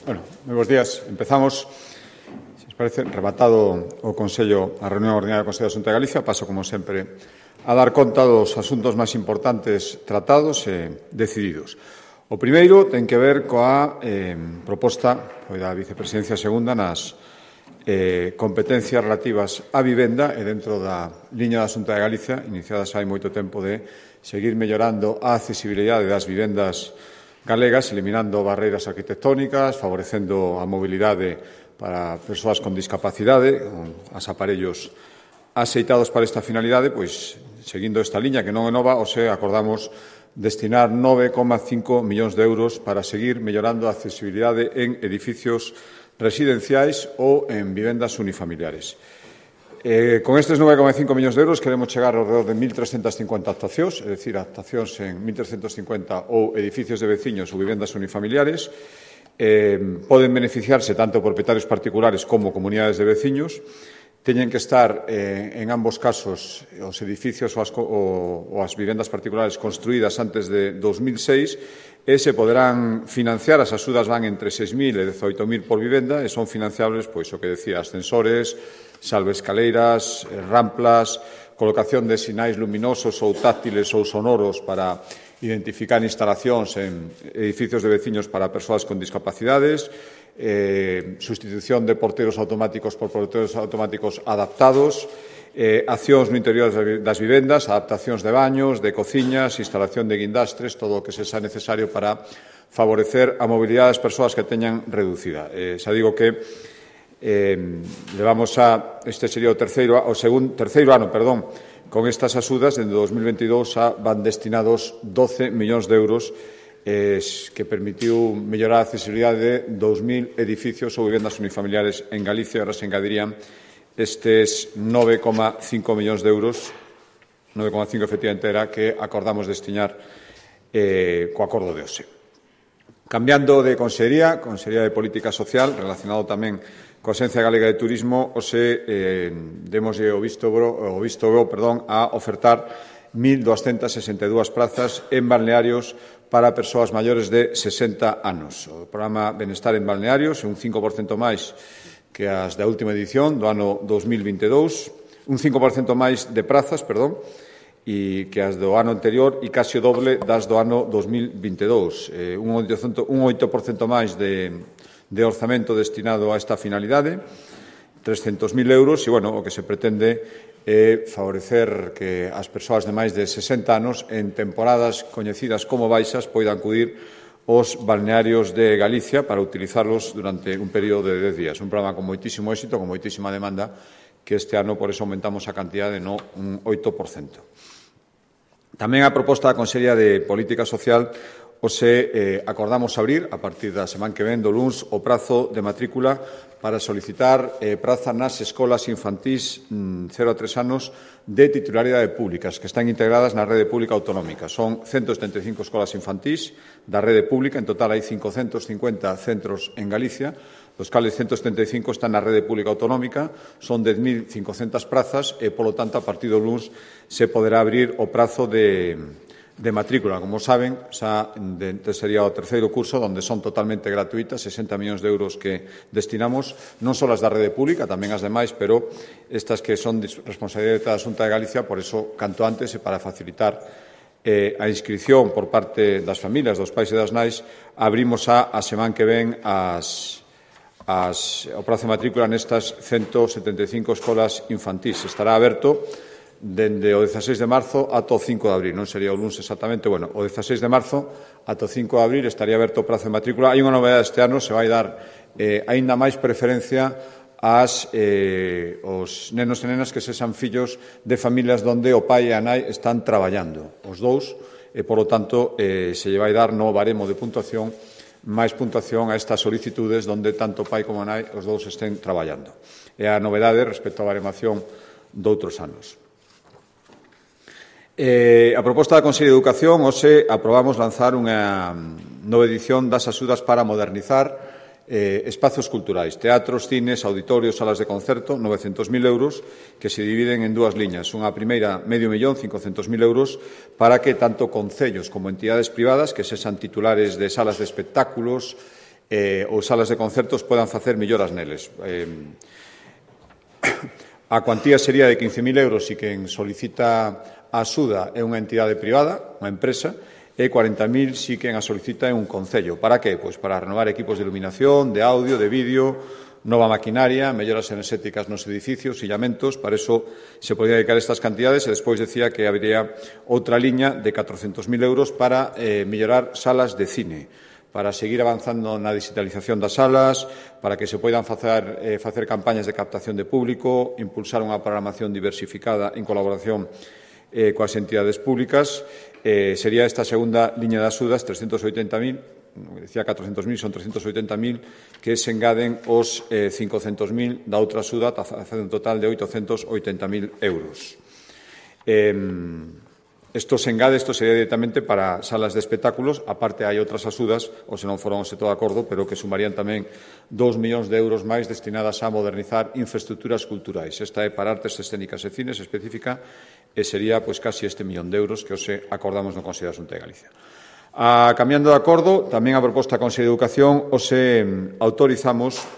Bueno, moi bons días. Empezamos, se os parece, rematado o Consello, a reunión ordinaria do Consello de Xunta de Galicia. Paso, como sempre, a dar conta dos asuntos máis importantes tratados e decididos. O primeiro ten que ver coa proposta da Vicepresidencia Segunda nas competencias relativas á vivenda e dentro da liña da Xunta de Galicia, iniciadas hai moito tempo, de seguir mellorando a accesibilidade das vivendas galegas, eliminando barreiras arquitectónicas, favorecendo a mobilidade para persoas con discapacidade, as aparellos axeitados para esta finalidade. Pois, seguindo esta liña, que non é nova, acordamos destinar 9,5 millóns de euros para seguir mellorando a accesibilidade en edificios residenciais ou en vivendas unifamiliares. Con estes 9,5 millóns de euros queremos chegar ao redor de 1.350 actuacións, é dicir, actuacións en 1.350 ou edificios de veciños ou vivendas unifamiliares. Poden beneficiarse tanto propietarios particulares como comunidades de veciños. Teñen que estar, en ambos casos, os edificios ou as vivendas particulares construídas antes de 2006 e se poderán financiar. As axudas van entre 6.000 e 18.000 por vivenda e son financiables, pois, o que decía, ascensores, salvaescaleiras, ramplas, colocación de sinais luminosos ou táctiles ou sonoros para identificar instalacións en edificios de veciños para persoas con discapacidades, sustitución de porteros automáticos por porteros automáticos adaptados, accións no interior das vivendas, adaptacións de baños, de cociñas, instalación de guindastres, todo o que sexa necesario para favorecer a mobilidade das persoas que teñan reducida. Xa digo que este sería o terceiro ano, con estas axudas. Dende 2022 van destinados 12 millóns de euros que permitiu mellorar a accesibilidade de 2.000 edificios ou vivendas unifamiliares en Galicia. Ahora se engadirían estes 9,5 millóns de euros, 9,5 efectivamente era, que acordamos destinar co acordo de hoxe. Cambiando de Consellería de Política Social, relacionado tamén coa Axencia Galega de Turismo, demoslle o visto bo a ofertar 1.262 plazas en balnearios para persoas maiores de 60 anos. O programa Benestar en Balnearios é un 5% máis que as da última edición do ano 2022, un 5% máis de plazas, e que as do ano anterior e case o doble das do ano 2022. Un 8% máis de orzamento destinado a esta finalidade, 300.000 euros, e, o que se pretende é favorecer que as persoas de máis de 60 anos, en temporadas coñecidas como baixas, poidan acudir aos balnearios de Galicia para utilizarlos durante un período de 10 días. Un programa con moitísimo éxito, con moitísima demanda, que este ano, por eso, aumentamos a cantidade un 8%. Tamén a proposta da Consellería de Política Social, acordamos abrir, a partir da semana que ven, do luns, o prazo de matrícula para solicitar praza nas escolas infantís 0 a 3 anos de titularidade públicas, que están integradas na rede pública autonómica. Son 175 escolas infantís da rede pública, en total hai 550 centros en Galicia, dos cales 175 están na rede pública autonómica, son 10.500 prazas e, polo tanto, a partir do luns se poderá abrir o prazo de matrícula. Como saben, sería o terceiro curso, onde son totalmente gratuitas, 60 millóns de euros que destinamos, non só as da rede pública, tamén as demais, pero estas que son responsabilidade da Xunta de Galicia, por eso, canto antes, e para facilitar a inscripción por parte das familias, dos pais e das nais, abrimos a semana que ven o prazo de matrícula nestas 175 escolas infantís. Estará aberto dende o 16 de marzo ata o 5 de abril, non sería o luns exactamente, o 16 de marzo ata o 5 de abril estaría aberto o prazo de matrícula. Hai unha novedade este ano, se vai dar aínda máis preferencia aos nenos e nenas que sexan fillos de familias onde o pai e a nai están traballando, os dous, e, polo tanto, se lle vai dar no baremo de puntuación máis puntuación a estas solicitudes onde tanto o pai como a nai, os dous, estén traballando. É a novedade respecto á baremación doutros anos. A proposta da Consellería de Educación, aprobamos lanzar unha nova edición das axudas para modernizar espazos culturais, teatros, cines, auditorios, salas de concerto, 900.000 euros, que se dividen en dúas liñas. Unha primeira, 500.000, 500.000 euros, para que tanto concellos como entidades privadas que sexan titulares de salas de espectáculos, ou salas de concertos podan facer melloras neles. A cuantía sería de 15.000 euros e quen solicita a axuda é unha entidade privada, unha empresa, e 40.000 si quen a solicita é un concello. Para que? Pois para renovar equipos de iluminación, de audio, de vídeo, nova maquinaria, melloras enerxéticas nos edificios, illamentos. Para iso se podía dedicar estas cantidades e despois decía que habería outra liña de 400.000 euros para mellorar salas de cine, para seguir avanzando na digitalización das salas, para que se poidan facer campañas de captación de público, impulsar unha programación diversificada en colaboración coas entidades públicas. Sería esta segunda liña de axudas, 380.000, decía 400.000, son 380.000, que se engaden os 500.000 da outra axuda, facendo un total de 880.000 euros. Isto sería directamente para salas de espectáculos, aparte hai outras axudas, ou se non foron todo de acordo, pero que sumarían tamén 2 millóns de euros máis destinadas a modernizar infraestructuras culturais. Esta é para artes escénicas e cines específica e sería casi este millón de euros que hoxe acordamos no Consello da Xunta de Galicia. Cambiando de acordo, tamén a proposta do Consello de Educación, hoxe autorizamos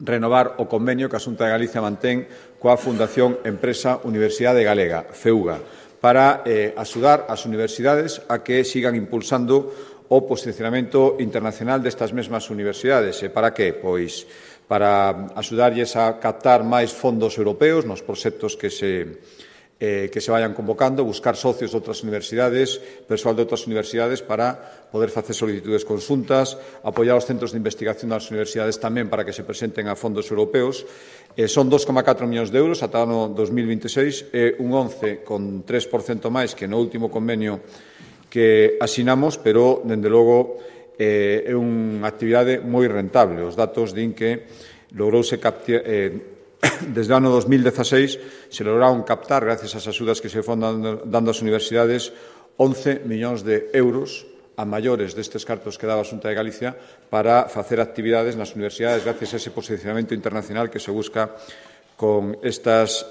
renovar o convenio que a Xunta de Galicia mantén coa Fundación Empresa Universidade Galega, FEUGA, para axudar as universidades a que sigan impulsando o posicionamento internacional destas mesmas universidades. E para que? Pois para axudarlles a captar máis fondos europeos nos proxectos que se vayan convocando, buscar socios de outras universidades, persoal de outras universidades para poder facer solicitudes conxuntas, apoiar os centros de investigación das universidades tamén para que se presenten a fondos europeos. Son 2,4 millóns de euros ata o ano 2026, un 11,3% máis que no último convenio que asinamos, pero, dende logo, é unha actividade moi rentable. Os datos din que logrouse captar, desde o ano 2016, se lograron captar, gracias ás axudas que se foron dando ás universidades, 11 millóns de euros a maiores destes cartos que daba a Xunta de Galicia para facer actividades nas universidades gracias a ese posicionamento internacional que se busca con estas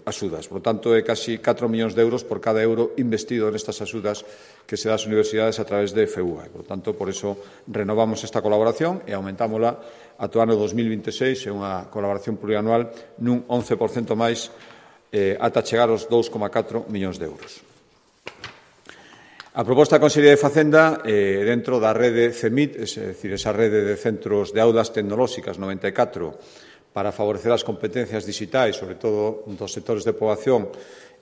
axudas. Por tanto, é casi 4 millóns de euros por cada euro investido nestas axudas que se dá ás universidades a través de FEUGA. Por tanto, por iso renovamos esta colaboración e aumentámola ata o ano 2026, é unha colaboración plurianual nun 11% máis ata chegar aos 2,4 millóns de euros. A proposta da Consellería de Facenda, dentro da rede CEMIT, é dicir, esa rede de centros de aulas tecnolóxicas 94, para favorecer as competencias digitais, sobre todo dos sectores de poboación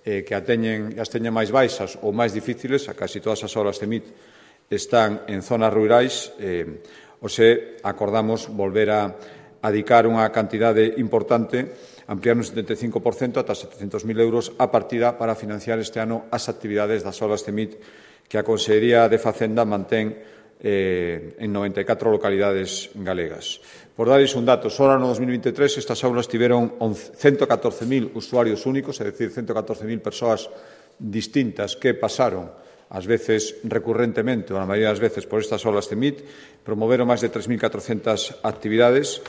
que as teñen máis baixas ou máis difíciles, a casi todas as aulas CEMIT están en zonas rurais, hoxe acordamos volver a dedicar unha cantidade importante, ampliar un 75% ata 700.000 euros a partida para financiar este ano as actividades das aulas CEMIT que a Consellería de Facenda mantén en 94 localidades galegas. Por darles un dato, só no 2023 estas aulas tiveron 114.000 usuarios únicos, é dicir, 114.000 persoas distintas que pasaron, ás veces recurrentemente, ou a maioría das veces, por estas aulas CEMIT, promoveron máis de 3.400 actividades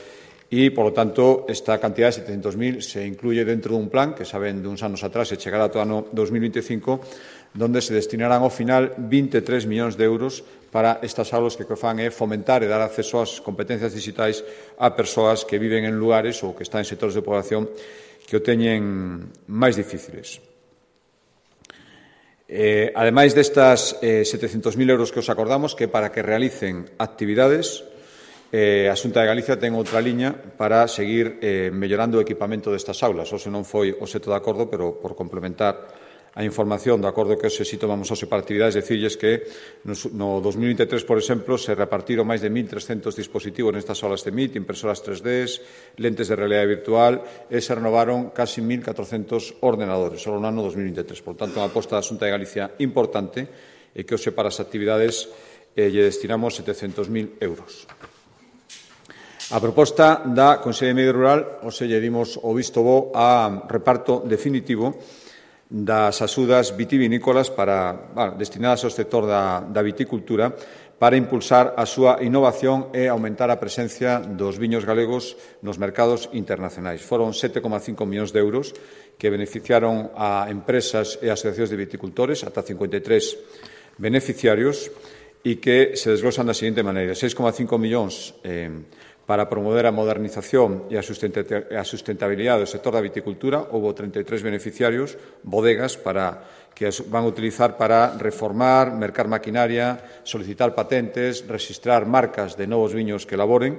e, polo tanto, esta cantidad de 700.000 se incluye dentro dun plan que saben de uns anos atrás e chegará ata o ano 2025, donde se destinarán ao final 23 millóns de euros para estas aulas que o que fan é fomentar e dar acceso ás competencias digitais a persoas que viven en lugares ou que están en sectores de población que o teñen máis difíciles. Ademais destas 700.000 euros que os acordamos, que para que realicen actividades, a Xunta de Galicia ten outra liña para seguir mellorando o equipamento destas aulas. Ose non foi o seto de acordo, pero por complementar a información do acordo que hoxe si tomamos hoxe para actividades, decirlles que no 2023, por exemplo, se repartiron máis de 1.300 dispositivos nestas aulas de MIT, impresoras 3D, lentes de realidade virtual, e se renovaron casi 1.400 ordenadores, só no ano 2023. Por tanto, unha aposta da Xunta de Galicia importante e que hoxe para as actividades lle destinamos 700.000 euros. A proposta da Consellería de Medio Rural, hoxe lle dimos o visto bo a reparto definitivo das axudas vitivinícolas destinadas ao sector da viticultura para impulsar a súa innovación e aumentar a presencia dos viños galegos nos mercados internacionais. Foron 7,5 millóns de euros que beneficiaron a empresas e asociacións de viticultores, ata 53 beneficiarios, e que se desglosan da seguinte maneira: 6,5 millóns para promover a modernización e a sustentabilidade do sector da viticultura. Houve 33 beneficiarios, bodegas, que van a utilizar para reformar, mercar maquinaria, solicitar patentes, registrar marcas de novos viños que elaboren.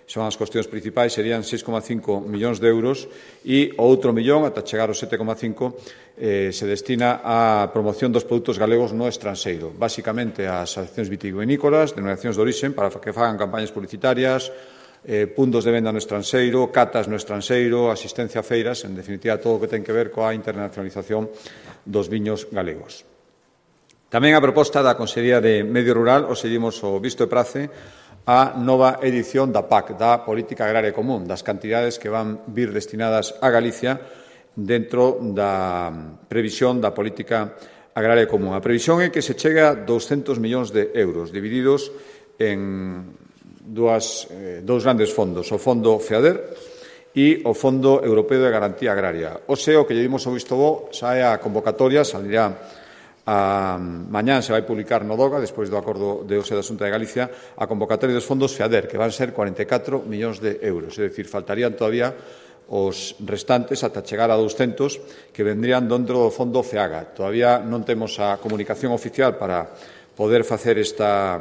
Son as cuestións principais, serían 6,5 millóns de euros, e o outro millón, ata chegar aos 7,5, se destina á promoción dos produtos galegos no estranxeiro, basicamente ás asociacións vitivinícolas, denominacións de origen, para que fagan campañas publicitarias, puntos de venda no estranxeiro, catas no estranxeiro, asistencia a feiras, en definitiva, todo o que ten que ver coa internacionalización dos viños galegos. Tamén a proposta da Consellería de Medio Rural, os seguimos o visto e prace a nova edición da PAC, da Política Agraria Común, das cantidades que van vir destinadas a Galicia dentro da previsión da Política Agraria Común. A previsión é que se chegue a 200 millóns de euros, divididos en dous grandes fondos, o Fondo FEADER e o Fondo Europeo de Garantía Agraria. O que lle dimos o visto bo, sae a convocatoria, salirá mañán, se vai publicar no DOGA, despois do acordo de OSE da Xunta de Galicia, a convocatoria dos fondos FEADER, que van ser 44 millóns de euros. É dicir, faltarían todavía os restantes ata chegar a 200 que vendrían dentro do fondo FEAGA. Todavía non temos a comunicación oficial para poder facer esta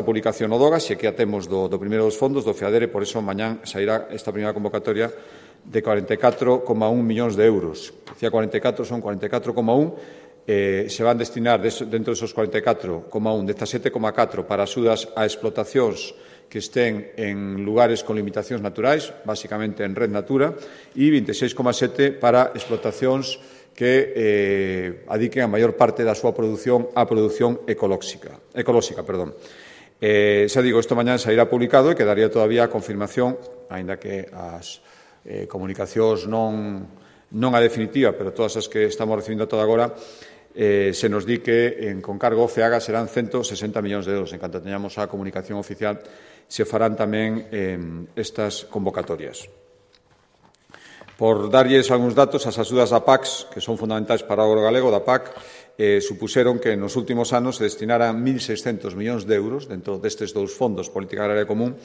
publicación no DOGA, se que a temos do primeiro dos fondos, do FEADER, e por iso mañán sairá esta primeira convocatoria de 44,1 millóns de euros. Decía 44, son 44,1. Se van destinar dentro desos 44,1, 17,4 para axudas a explotacións que estén en lugares con limitacións naturais, basicamente en Red Natura, e 26,7 para explotacións que adiquen a maior parte da súa produción á produción ecolóxica. Xa digo, isto mañán sairá publicado e quedaría todavía a confirmación, aínda que as comunicacións non a definitiva, pero todas as que estamos recibindo toda agora, se nos di que con cargo FEAGA serán 160 millóns de euros. En canto teñamos a comunicación oficial, se farán tamén estas convocatorias. Por darlles algúns datos, as axudas da PAC, que son fundamentais para o agro galego, da PAC, supuseron que nos últimos anos se destinaran 1.600 millóns de euros dentro destes dous fondos, Política Agraria Común,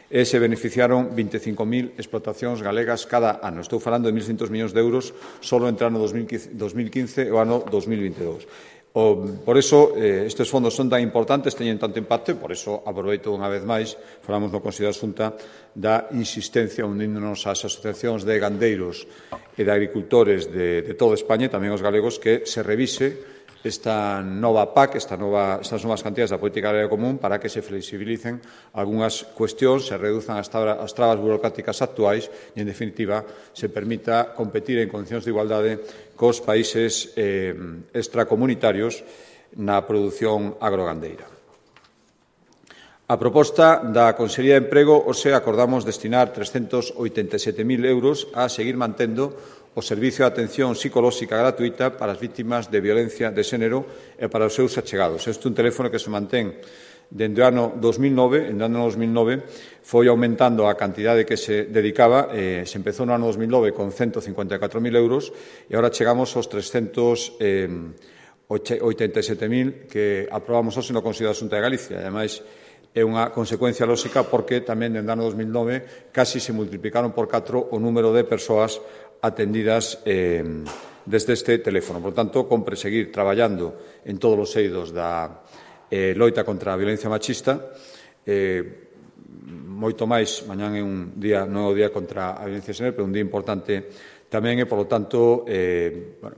e se beneficiaron 25.000 explotacións galegas cada ano. Estou falando de 1.600 millóns de euros solo entre o ano 2015 e o ano 2022. Por iso, estes fondos son tan importantes, teñen tanto impacto, e por iso aproveito unha vez máis, falamos no Consello da Xunta, da insistencia uníndonos ás asociacións de gandeiros e de agricultores de toda España, e tamén os galegos, que se revise esta nova PAC, estas novas cantidades da Política Agraria Común, para que se flexibilicen algunhas cuestións, se reduzan as trabas burocráticas actuais e, en definitiva, se permita competir en condicións de igualdade cos países extracomunitarios na produción agrogandeira. A proposta da Consellería de Emprego, acordamos destinar 387.000 euros a seguir mantendo o servicio de atención psicolóxica gratuita para as vítimas de violencia de xénero e para os seus achegados. Este é un teléfono que se mantén dende o ano 2009. En o ano 2009 foi aumentando a cantidade que se dedicaba. Se empezou no ano 2009 con 154.000 euros e agora chegamos aos 387.000 que aprobamos hoxe no Consello da Xunta de Galicia. Ademais, é unha consecuencia lóxica porque tamén dende o ano 2009 casi se multiplicaron por 4 o número de persoas atendidas desde este teléfono. Por tanto, compre seguir traballando en todos os eidos da loita contra a violencia machista. Moito máis, mañán é un día, non é o día contra a violencia de xénero, pero un día importante tamén, e, polo tanto,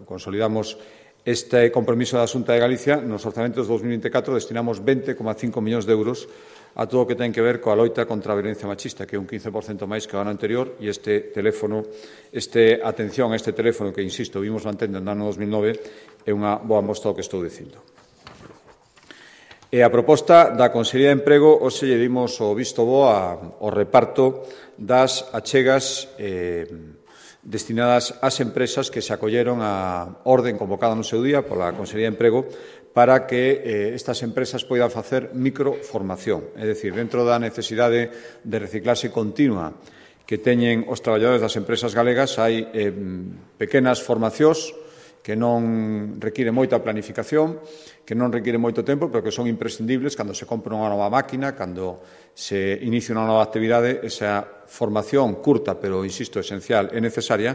consolidamos este compromiso da Xunta de Galicia. Nos orzamentos de 2024 destinamos 20,5 millóns de euros a todo o que ten que ver coa loita contra a violencia machista, que é un 15% máis que o ano anterior, e este teléfono, atención a este teléfono que, insisto, vimos mantendo no ano 2009, é unha boa mostra do que estou dicindo. E a proposta da Consellería de Emprego, hoxe lle dimos o visto bo ao reparto das achegas destinadas ás empresas que se acolleron á orden convocada no seu día pola Consellería de Emprego para que estas empresas poidan facer microformación. É dicir, dentro da necesidade de reciclaxe continua que teñen os traballadores das empresas galegas, hai pequenas formacións que non require moita planificación, que non require moito tempo, pero que son imprescindibles cando se compra unha nova máquina, cando se inicia unha nova actividade. Esa formación curta, pero, insisto, esencial e necesaria,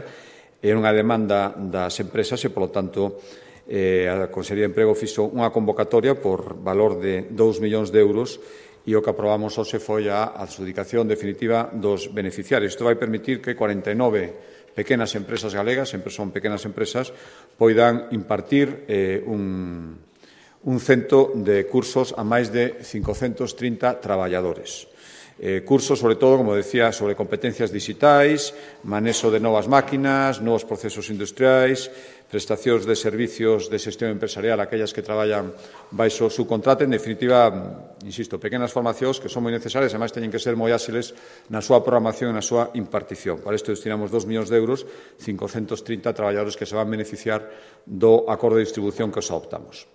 é unha demanda das empresas e, polo tanto, a Consellería de Emprego fixo unha convocatoria por valor de 2 millóns de euros e o que aprobamos hoxe foi a adxudicación definitiva dos beneficiarios. Isto vai permitir que 49 pequenas empresas galegas, sempre son pequenas empresas, poidan impartir un cento de cursos a máis de 530 traballadores. Cursos, sobre todo, como decía, sobre competencias digitais, manexo de novas máquinas, novos procesos industriais, prestacións de servicios de xestión empresarial, aquellas que traballan baixo subcontrata. En definitiva, insisto, pequenas formacións que son moi necesarias e, ademais, teñen que ser moi áxiles na súa programación e na súa impartición. Para isto destinamos 2 millóns de euros, 530 traballadores que se van beneficiar do acordo de distribución que os adoptamos.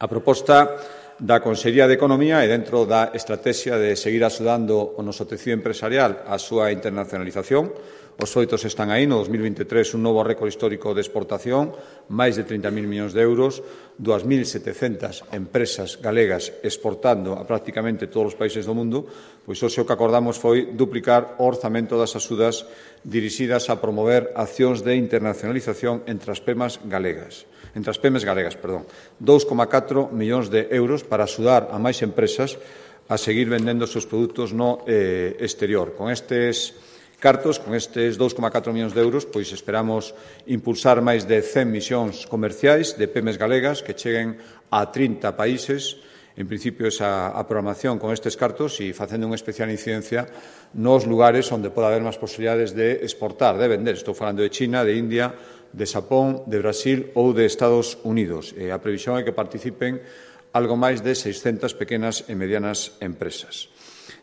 A proposta da Consellería de Economía e dentro da estrategia de seguir axudando o noso tecido empresarial á súa internacionalización. Os feitos están aí. No 2023, un novo récord histórico de exportación, máis de 30.000 millóns de euros, 2.700 empresas galegas exportando a prácticamente todos os países do mundo. Pois hoxe o que acordamos foi duplicar o orzamento das axudas dirixidas a promover accións de internacionalización entre as PEMEs galegas. 2,4 millóns de euros para axudar a máis empresas a seguir vendendo os seus produtos no exterior. Con estes cartos, con estes 2,4 millóns de euros, pois esperamos impulsar máis de 100 misións comerciais de PEMEs galegas que cheguen a 30 países. En principio, esa programación con estes cartos e facendo unha especial incidencia nos lugares onde pode haber máis posibilidades de exportar, de vender. Estou falando de China, de India, de Xapón, de Brasil ou de Estados Unidos. A previsión é que participen algo máis de 600 pequenas e medianas empresas.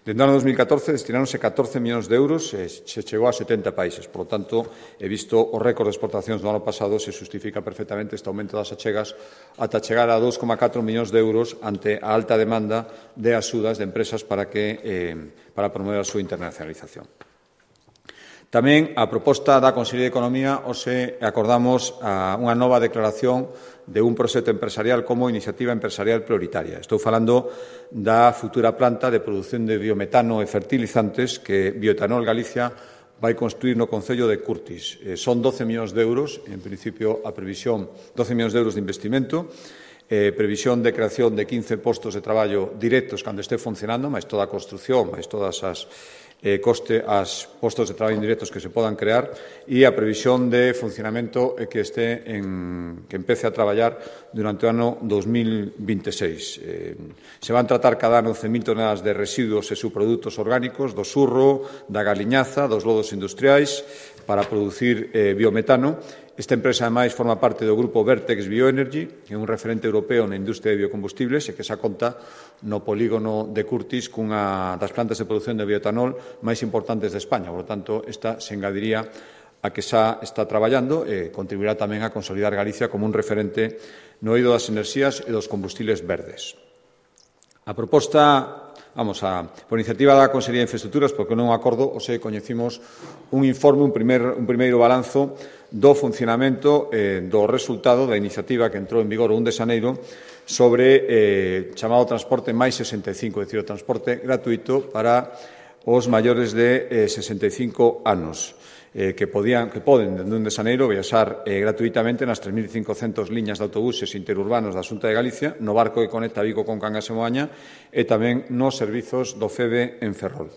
Dende o ano 2014 destinaronse 14 millóns de euros e se chegou a 70 países. Por lo tanto, he visto o récord de exportacións do ano pasado, se justifica perfectamente este aumento das achegas ata chegar a 2,4 millóns de euros ante a alta demanda de axudas de empresas para promover a súa internacionalización. Tamén a proposta da Consellería de Economía hoxe acordamos unha nova declaración de un proxecto empresarial como iniciativa empresarial prioritaria. Estou falando da futura planta de produción de biometano e fertilizantes que Bioetanol Galicia vai construir no concello de Curtis. Son 12 millóns de euros, en principio a previsión, 12 millóns de euros de investimento, previsión de creación de 15 postos de traballo directos cando este funcionando, máis toda a construción, máis todas as postos de traballo indirectos que se podan crear e a previsión de funcionamento que empece a traballar durante o ano 2026. Se van tratar cada ano 11.000 toneladas de residuos e subprodutos orgánicos do surro, da galiñaza, dos lodos industriais para producir biometano. Esta empresa, ademais, forma parte do grupo Vertex Bioenergy, que é un referente europeo na industria de biocombustibles e que xa conta no polígono de Curtis cunha das plantas de produción de bioetanol máis importantes de España. Por lo tanto, esta se engadiría a que xa está traballando e contribuirá tamén a consolidar Galicia como un referente no eido das enerxías e dos combustibles verdes. A proposta, por iniciativa da Consellería de Infraestructuras, porque non acordo, hoxe coñecimos un informe, un primeiro balanzo do funcionamento do resultado da iniciativa que entrou en vigor o 1 de xaneiro sobre chamado transporte máis 65, é dicir, o transporte gratuito para os maiores de 65 anos, que poden, dende 1 de xaneiro, viaxar gratuitamente nas 3.500 liñas de autobuses interurbanos da Xunta de Galicia, no barco que conecta Vigo con Cangas e Moaña e tamén nos servizos do FEBE en Ferrol.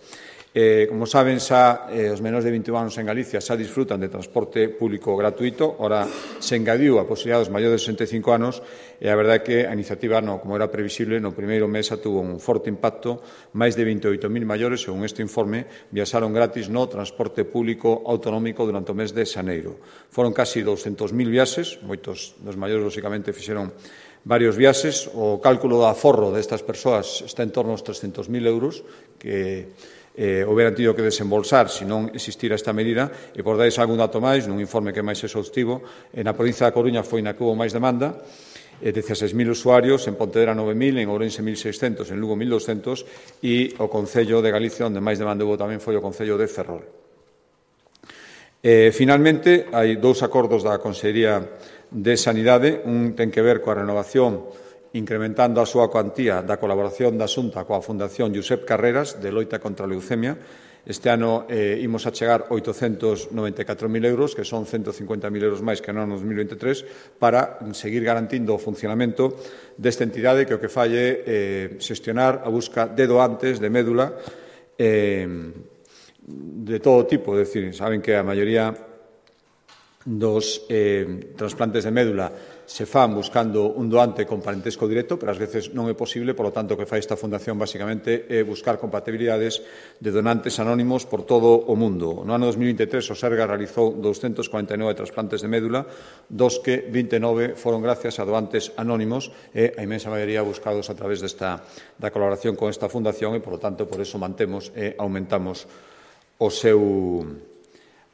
Como saben, xa os menores de 21 anos en Galicia xa disfrutan de transporte público gratuito. Ora se engadiu a posibilidade dos maiores de 65 anos e a verdade é que a iniciativa, como era previsible, no primeiro mes xa tuvo un forte impacto. Máis de 28.000 maiores, según este informe, viaxaron gratis no transporte público autonómico durante o mes de xaneiro. Foron casi 200.000 viaxes, moitos dos maiores, lóxicamente, fixeron varios viaxes. O cálculo do aforro destas persoas está en torno aos 300.000 euros que houberan tido que desembolsar se non existira esta medida. E por dais algún dato máis, nun informe que é máis exhaustivo, na provincia da Coruña foi na que houbo máis demanda, 16.000 usuarios, en Pontevedra 9.000, en Ourense 1.600, en Lugo 1.200 e o Concello de Galicia, onde máis demanda houbo tamén foi o Concello de Ferrol. Finalmente, hai dous acordos da Consellería de Sanidade. Un ten que ver coa renovación incrementando a súa cuantía da colaboración da Xunta coa Fundación Josep Carreras de loita contra a leucemia. Este ano imos a chegar 894.000 euros, que son 150.000 euros máis que no ano 2023, para seguir garantindo o funcionamento desta entidade que o que fai é xestionar a busca de doantes de médula de todo tipo. É dicir, saben que a maioría dos trasplantes de médula se fan buscando un doante con parentesco directo, pero ás veces non é posible, por lo tanto, o que fai esta fundación basicamente é buscar compatibilidades de donantes anónimos por todo o mundo. No ano 2023, o Serga realizou 249 trasplantes de médula, dos que 29 foron gracias a doantes anónimos e a inmensa maioría buscados a través da colaboración con esta fundación e, por lo tanto, por eso mantemos e aumentamos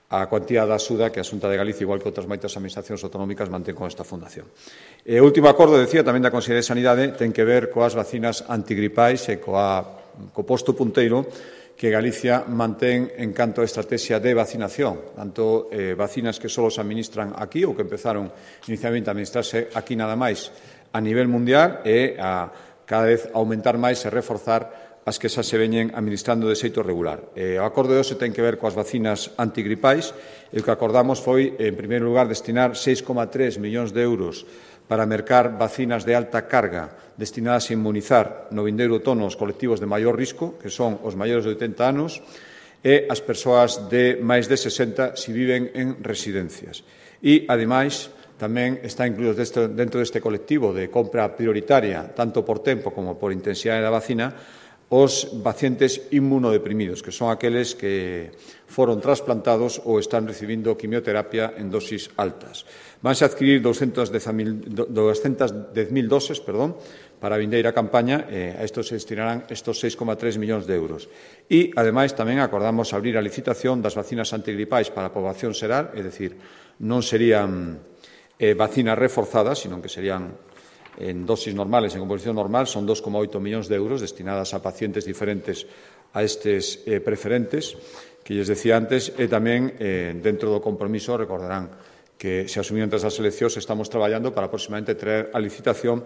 a cuantía da axuda que a Xunta de Galicia, igual que outras moitas administracións autonómicas, mantén con esta fundación. O último acordo, decía, tamén da Consellería de Sanidade, ten que ver coas vacinas antigripais e co posto punteiro que Galicia mantén en canto a estrategia de vacinación, tanto vacinas que só se administran aquí ou que empezaron inicialmente a administrarse aquí nada máis a nivel mundial e a cada vez aumentar máis e reforzar as que xa se veñen administrando de xeito regular. O acordo de hoxe ten que ver coas vacinas antigripais e o que acordamos foi, en primeiro lugar, destinar 6,3 millóns de euros para mercar vacinas de alta carga destinadas a inmunizar no vindeiro outono os colectivos de maior risco, que son os maiores de 80 anos, e as persoas de máis de 60 se viven en residencias. E, ademais, tamén está incluído dentro deste colectivo de compra prioritaria, tanto por tempo como por intensidade da vacina, os pacientes inmunodeprimidos, que son aqueles que foron trasplantados ou están recibindo quimioterapia en dosis altas. Vanse a adquirir 210.000 doses para a vindeira campaña, a isto se destinarán estos 6,3 millóns de euros. E, ademais, tamén acordamos abrir a licitación das vacinas antigripais para a poboación xeral, é dicir, non serían vacinas reforzadas, sino que serían en dosis normales, en composición normal, son 2,8 millóns de euros destinadas a pacientes diferentes a estes preferentes, que lles decía antes, e tamén dentro do compromiso, recordarán que se asumiu antes das eleccións, estamos traballando para aproximadamente traer a licitación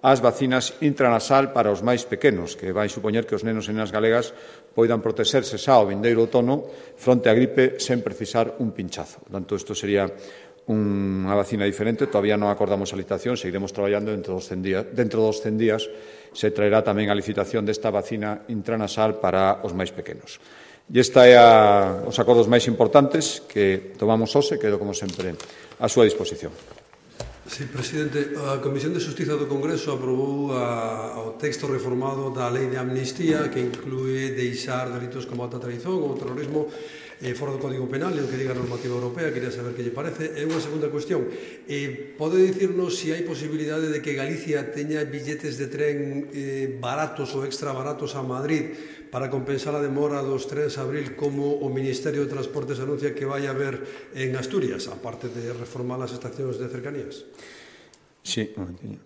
as vacinas intranasal para os máis pequenos, que vai supoñer que os nenos e nenas galegas poidan protexerse xa ao vindeiro outono fronte á gripe sen precisar un pinchazo. Por tanto, isto sería unha vacina diferente, todavía non acordamos a licitación, seguiremos traballando dentro dos 100 días se traerá tamén a licitación desta vacina intranasal para os máis pequenos. E esta é os acordos máis importantes que tomamos hoxe, quedo como sempre a súa disposición. Sí, presidente, a Comisión de Xustiza do Congreso aprobou o texto reformado da Lei de Amnistía que inclúe deixar delitos como alta traición ou terrorismo fora do Código Penal, e o que diga a normativa europea. Quería saber que lle parece. E unha segunda cuestión, pode dicirnos se hai posibilidade de que Galicia teña billetes de tren baratos ou extra baratos a Madrid para compensar a demora dos trens a abril, como o Ministerio de Transportes anuncia que vai haber en Asturias, aparte de reformar as estacións de cercanías? Sí, un momentinho.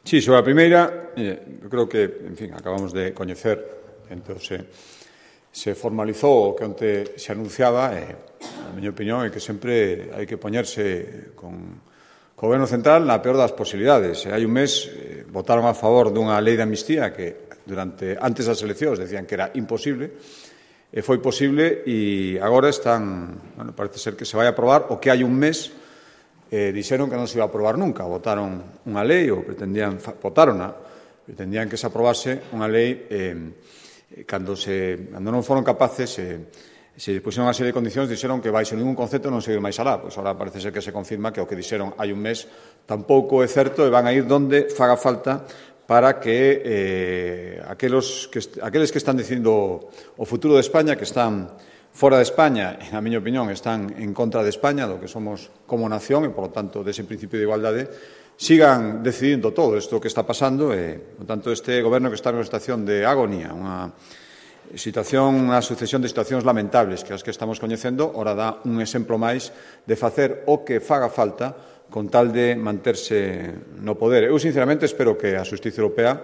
Sí, sobre a primeira, eu creo que, en fin, acabamos de coñecer, entón se formalizou o que onte se anunciaba, a miña opinión é que sempre hai que poñerse con o Goberno Central na peor das posibilidades. Hai un mes votaron a favor dunha lei de amnistía que antes das eleccións decían que era imposible, e foi posible, e agora parece ser que se vai aprobar o que hai un mes dixeron que non se iba a aprobar nunca. Votaron unha lei, ou pretendían que se aprobase unha lei cando non foron capaces, se puseron unha serie de condicións, dixeron que baixo ningún concepto non seguir máis alá. Pois agora parece ser que se confirma que o que dixeron hai un mes tampouco é certo, e van a ir donde faga falta para que aqueles que están dicindo o futuro de España, que están fora de España, na miña opinión, están en contra de España, do que somos como nación, e, por lo tanto, dese principio de igualdade, sigan decidindo todo isto que está pasando, e, por tanto, este goberno que está nunha situación de agonía, unha sucesión de situacións lamentables que as que estamos coñecendo, ora dá un exemplo máis de facer o que faga falta con tal de manterse no poder. Eu, sinceramente, espero que a Xustiza Europea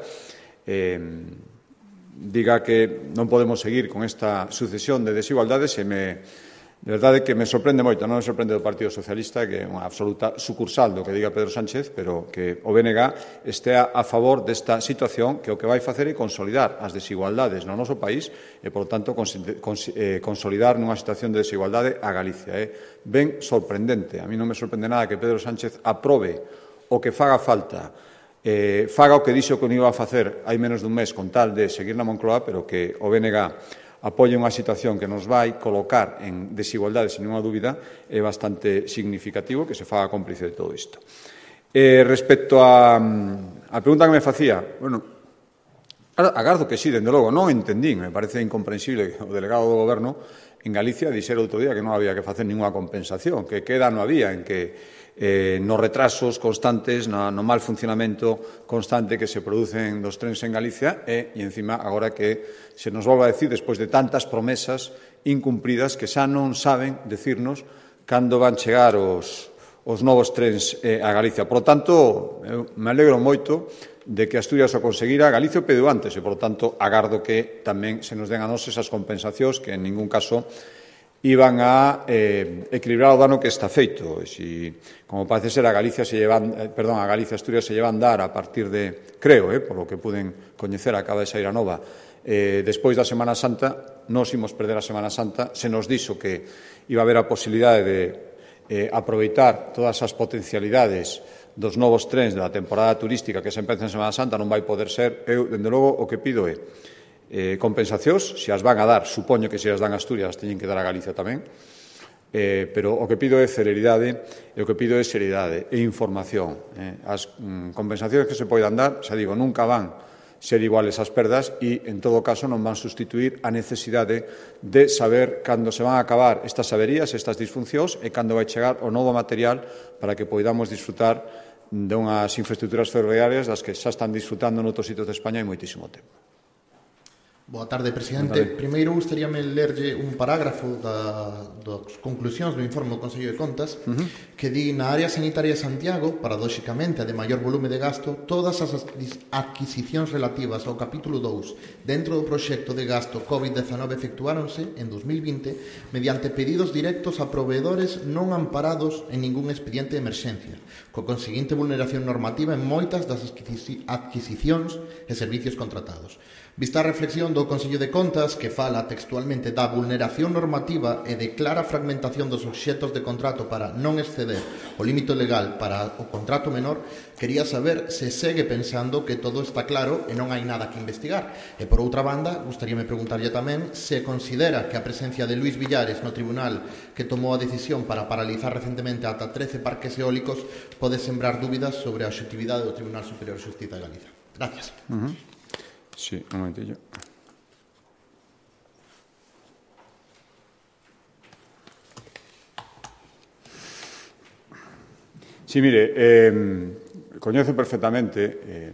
diga que non podemos seguir con esta sucesión de desigualdades e de verdade que me sorprende moito, non me sorprende do Partido Socialista, que é unha absoluta sucursal do que diga Pedro Sánchez, pero que o BNG estea a favor desta situación que o que vai facer é consolidar as desigualdades no noso país e, por tanto, consolidar nunha situación de desigualdade a Galicia. É ben sorprendente. A mí non me sorprende nada que Pedro Sánchez aprobe o que faga falta, faga o que dixo que non iba a facer hai menos dun mes con tal de seguir na Moncloa, pero que o BNG apoie unha situación que nos vai colocar en desigualdade, sin ninguna dúbida, é bastante significativo que se faga cómplice de todo isto. Respecto a pregunta que me facía, bueno, agardo que sí, dende logo, non entendín, me parece incomprensible que o delegado do Goberno en Galicia dixera outro día que non había que facer ninguna compensación, que queda non había en que nos retrasos constantes, no mal funcionamento constante que se producen dos trens en Galicia e encima, agora que se nos volve a decir, despois de tantas promesas incumpridas, que xa non saben decirnos cando van chegar os novos trens a Galicia. Por lo tanto, eu me alegro moito de que Asturias o conseguira, Galicia o pediu antes e, por lo tanto, agardo que tamén se nos den a nos esas compensacións que en ningún caso iban a equilibrar o dano que está feito. E si, como parece ser, a Galicia Asturias se llevan dar a partir de, creo, por lo que puden coñecer, acaba de sair a nova, despois da Semana Santa, nos imos perder a Semana Santa, se nos dixo que iba a haber a posibilidade de aproveitar todas as potencialidades dos novos trens da temporada turística que se empeza en Semana Santa, non vai poder ser. Eu, dende logo, o que pido é compensacións, se as van a dar, supoño que se as dan a Asturias, as teñen que dar a Galicia tamén, pero o que pido é celeridade e o que pido é seriedade e información. As compensacións que se poidan dar, xa digo, nunca van ser iguales as perdas e, en todo caso, non van sustituir a necesidade de saber cando se van a acabar estas averías, estas disfuncións e cando vai chegar o novo material para que poidamos disfrutar de unhas infraestructuras ferroviarias das que xa están disfrutando noutros sitios de España hai moitísimo tempo. Boa tarde, presidente. Primeiro, gustaríame lerlle un parágrafo das conclusións do informe do Consello de Contas que di na área sanitaria de Santiago, paradóxicamente a de maior volume de gasto, todas as adquisicións relativas ao capítulo 2 dentro do proxecto de gasto COVID-19 efectuáronse en 2020 mediante pedidos directos a proveedores non amparados en ningún expediente de emerxencia, co conseguinte vulneración normativa en moitas das adquisicións e servicios contratados. Vista a reflexión do Consello de Contas, que fala textualmente da vulneración normativa e de clara fragmentación dos obxectos de contrato para non exceder o límite legal para o contrato menor, quería saber se segue pensando que todo está claro e non hai nada que investigar. E, por outra banda, gustaríame preguntarlle tamén se considera que a presencia de Luís Villares no tribunal que tomou a decisión para paralizar recentemente ata 13 parques eólicos pode sembrar dúbidas sobre a obxectividade do Tribunal Superior de Xustiza de Galicia. Gracias. Sí, un momentillo. Sí, mire, coñezo perfectamente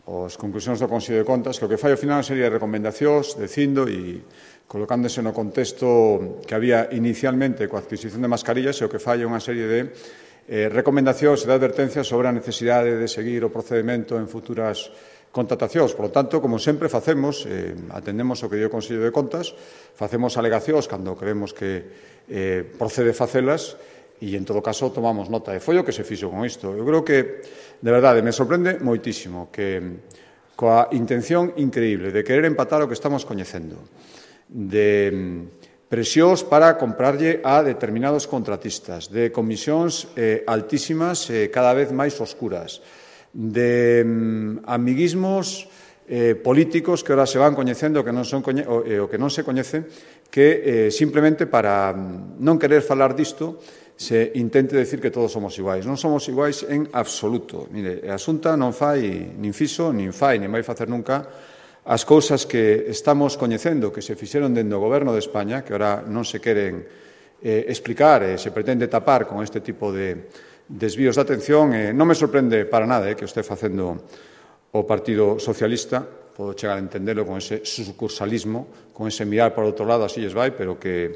as conclusións do Consello de Contas, que o que fai ao final é unha serie de recomendacións, dicindo e colocándose no contexto que había inicialmente coa adquisición de mascarillas, e o que fai é unha serie de recomendacións e de advertencias sobre a necesidade de seguir o procedimento en futuras contratacións. Por lo tanto, como sempre facemos, atendemos o que dio o Consello de Contas, facemos alegacións cando creemos que procede facelas e, en todo caso, tomamos nota. E foi o que se fixo con isto. Eu creo que, de verdade, me sorprende moitísimo que, coa intención increíble de querer empatar o que estamos coñecendo, de presións para comprarlle a determinados contratistas, de comisións altísimas e cada vez máis oscuras, de amiguismos políticos que ahora se van coñecendo o que non se coñece, que simplemente para non querer falar disto se intente decir que todos somos iguais. Non somos iguais en absoluto. Mire, a Xunta non fai, nin fixo, nin fai, nin vai facer nunca as cousas que estamos coñecendo, que se fixeron dentro do Goberno de España, que ahora non se queren explicar e se pretende tapar con este tipo de desvíos de atención. Non me sorprende para nada que o este facendo o Partido Socialista, podo chegar a entenderlo con ese sucursalismo, con ese mirar por outro lado, así lles vai, pero que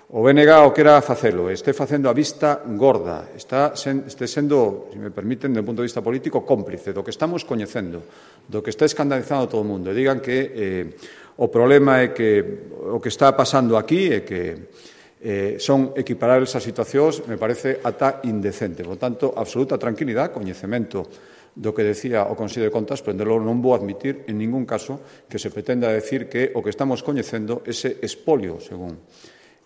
o BNG o quera facelo, este facendo a vista gorda, este sendo, se me permiten, do punto de vista político, cómplice do que estamos coñecendo, do que está escandalizando a todo o mundo, e digan que o problema é que o que está pasando aquí é que son equiparables as situacións, me parece ata indecente. Por tanto, absoluta tranquilidade, coñecemento do que decía o Consello de Contas, pero non vou admitir en ningún caso que se pretenda decir que o que estamos coñecendo, ese espolio, según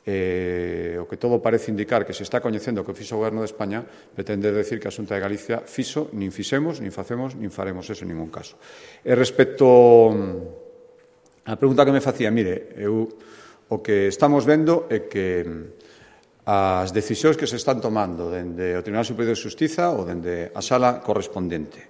o que todo parece indicar que se está coñecendo que fixo o Goberno de España, pretende decir que a Xunta de Galicia fixo, nin fixemos, nin facemos, nin faremos eso en ningún caso. E respecto á pregunta que me facía, mire, o que estamos vendo é que as decisións que se están tomando dende o Tribunal Superior de Xustiza ou dende a sala correspondente,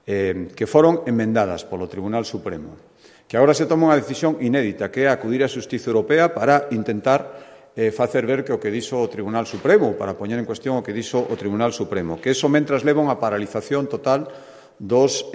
que foron emendadas polo Tribunal Supremo, que agora se toma unha decisión inédita, que é acudir á Xustiza Europea para intentar facer ver que o que dixo o Tribunal Supremo, para poñer en cuestión o que dixo o Tribunal Supremo, que eso mentras leva unha paralización total dos